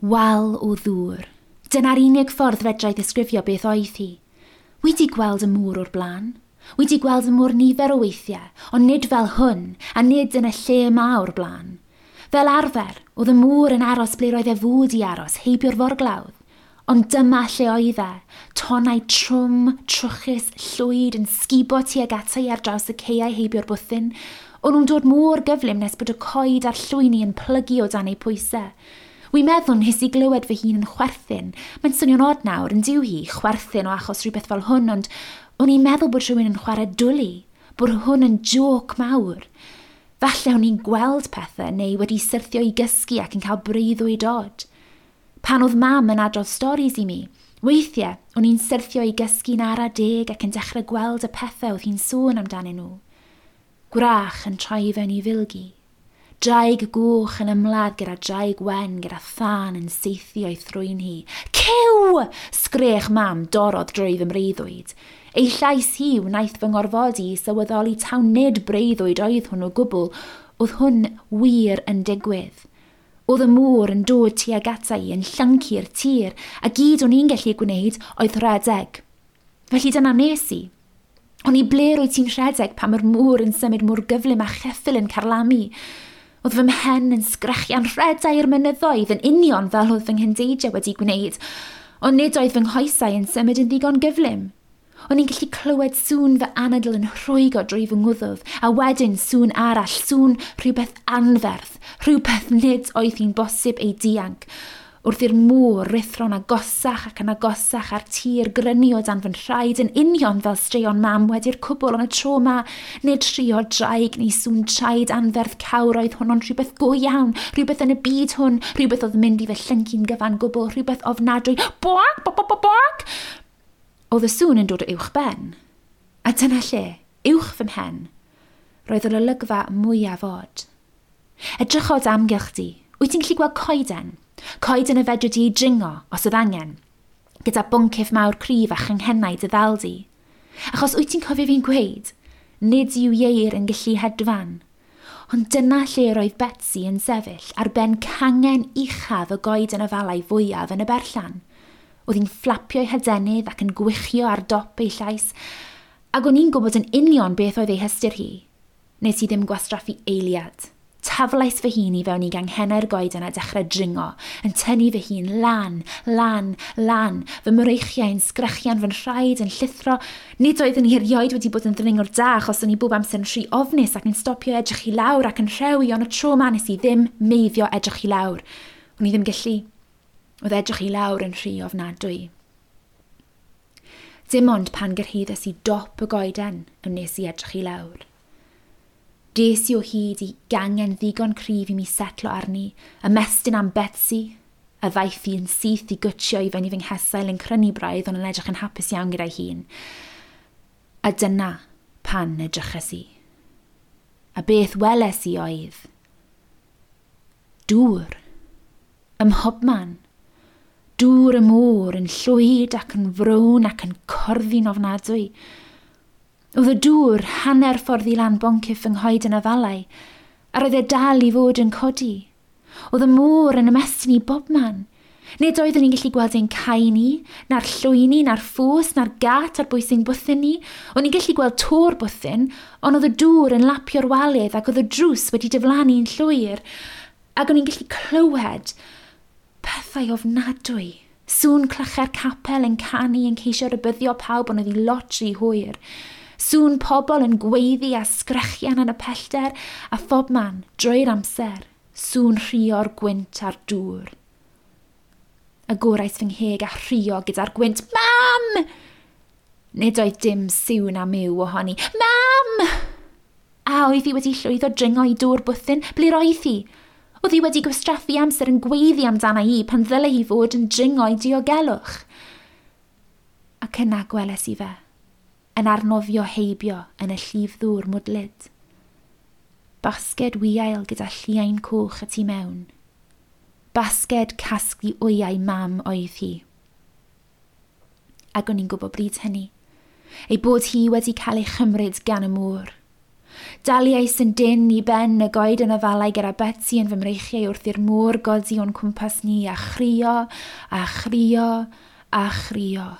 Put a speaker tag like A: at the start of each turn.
A: Wal o ddŵr. Dyna'r unig ffordd fedrai ddisgrifio beth oedd hi. Wi 'di gweld y môr o'r blaen. Wi 'di gweld y môr nifer o weithiau, ond nid fel hwn, a nid yn y lle 'ma o'r blaen. Fel arfer, oedd y môr yn aros ble roedd e fod i aros, heibio'r forglawdd. Ond dyma lle oedd e, tonnau trwm, trwchus, llwyd yn sgubo tuag ata i ar draws y caeau heibio'r bwthyn. O'n nhw'n dod mor gyflym nes bod y coed a'r llwyni yn plygu o dan eu pwysau. Wi'n meddwl nes i glywed fy hun yn chwerthin. Mae'n swnio'n od nawr, yn dyw hi, chwerthin o achos rhywbeth fel hwn, ond o'n i'n meddwl bod rhywun yn chwarae dwli, bod hwn yn jôc mawr. Falle o'n i'n gweld pethau neu wedi syrthio i gysgu ac yn cael breuddwyd od. Pan oedd mam yn adrodd storis i mi, weithiau o'n i'n syrthio i gysgu'n ara deg ac yn dechrau gweld y pethau oedd hi'n sôn amdanyn nhw. Gwrach yn troi i fewn i filgi. Draig goch yn ymladd gyda draig wen gyda thân yn saethu o'i thrwyn hi. Cyw! Sgrech mam dorrodd drwy fy mreuddwyd. Ei llais hi wnaeth fy ngorfodi i sylweddoli taw nid breuddwyd oedd hwn o gwbl, oedd hwn wir yn digwydd. Oedd y môr yn dod tuag ata i yn llyncu'r tir, a gyd o'n i'n gallu gwneud oedd rhedeg. Felly dyna nes i. O'n i ble rwyt ti'n rhedeg pan mae'r môr yn symud mor gyflym a cheffyl yn carlamu? Oedd fy mhen yn sgrechian rhedau i'r mynyddoedd yn union fel oedd fy nghyndeidiau wedi gwneud, ond nid oedd fy nghoesau yn symud yn ddigon gyflym. O'n i'n gallu clywed sŵn fy anadl yn rhwygo drwy fy ngwddf, a wedyn sŵn arall, sŵn rhywbeth anferth, rhywbeth nid oedd hi'n bosib ei dianc. Wrth i'r môr ruthro'n agosach ac yn agosach a'r tir grynu o dan fy nhraed yn union fel straeon mam wedi'r cwbl, ond y tro 'ma, nid rhuo draig neu sŵn traed anferth cawr oedd hwn, ond rhywbeth go iawn, rhywbeth yn y byd hwn, rhywbeth oedd yn mynd i fy llyncu'n gyfan gwbl, rhywbeth ofnadwy. Boac, boc, boc, boc! Oedd y sŵn yn dod o uwch ben. A dyna lle, uwch fy mhen, roedd yr olygfa mwyaf od. Edrycha o dy amgylch di. Wyt ti'n gallu gweld coeden? Coeden y fedri di ei dringo, os oedd angen. Gyda boncyff mawr cryf a changhennau dy ddal di. Achos wyt ti'n cofio fi'n gweud, nid yw ieir yn gallu hedfan. Ond dyna lle roedd Betsi yn sefyll, ar ben cangen uchaf y goeden afalau fwyaf yn y berllan. Oedd hi'n fflapio'i hadenydd ac yn gwichio ar dop ei llais, ac o'n i'n gwybod yn union beth oedd ei hystyr hi. Nes i ddim gwastraffu eiliad. Taflais fy hun i fewn i ganghennau'r goeden a dechrau dringo, yn tynnu fy hun lan, lan, lan, fy mreichiau yn sgrechian, fy nhraed yn llithro. Nid oeddwn i erioed wedi bod yn ddringwr da achos o'n i bob amser yn rhy ofnus ac yn stopio edrych i lawr ac yn rhewi, ond y tro 'ma nes i ddim meiddio edrych i lawr. O'n i ddim gallu. Oedd edrych i lawr yn rhy ofnadwy. Dim ond pan gyrhaeddes i dop y goeden y wnes i edrych i lawr. Des i o hyd i gangen ddigon cryf i mi setlo arni, ymestyn am Betsi, a ddaeth hi yn syth i gwtshio i fyny fy nghesail yn crynu braidd ond yn edrych yn hapus iawn gyda'i hun. A dyna pan edryches i. A beth weles i oedd dŵr. Ym mhobman. Dŵr y môr yn llwyd ac yn frown ac yn corddi'n ofnadwy. Oedd y dŵr hanner ffordd i lan boncyff fy nghoeden afalau, a roedd e dal i fod yn codi. Oedd y môr yn ymestyn i bobman. Nid oeddwn i'n gallu gweld ein cae ni, na'r llwyni, na'r ffos, na'r gât ar bwys ein bwthyn ni. O'n i'n gallu gweld to'r bwthyn, ond oedd y dŵr yn lapio'r walydd ac oedd y drws wedi diflannu'n llwyr. Ac o'n i'n gallu clywed pethau ofnadwy. Sŵn clychau'r capel yn canu yn ceisio rhybuddio pawb ond oedd hi lot rhy hwyr. Sŵn pobl yn gweiddi a sgrechian yn y pellter a phobman, drwy'r amser, sŵn rhuo'r gwynt a'r dŵr. Agorais fy ngheg a rhuo gyda'r gwynt. Mam! Nid oedd dim siw na miw ohoni. Mam! A oedd hi wedi llwyddo dringo i dŵr bwthyn? Ble roedd hi? Oedd hi wedi gwastraffu amser yn gweiddi amdana i pan ddyle hi fod yn dringo i diogelwch? Ac yna gweles i fe, yn arnofio heibio yn y llif ddŵr mwdlyd. Basged wiail gyda lliain coch y tu mewn. Basged casglu wyau mam oedd hi. Ac o'n i'n gwybod bryd hynny, ei bod hi wedi cael ei chymryd gan y môr. Daliais yn dyn i ben y goed yn afalau gyda Betsy yn fy mreichiau wrth i'r môr godi o'n cwmpas ni a chrio, a chrio, a chrio.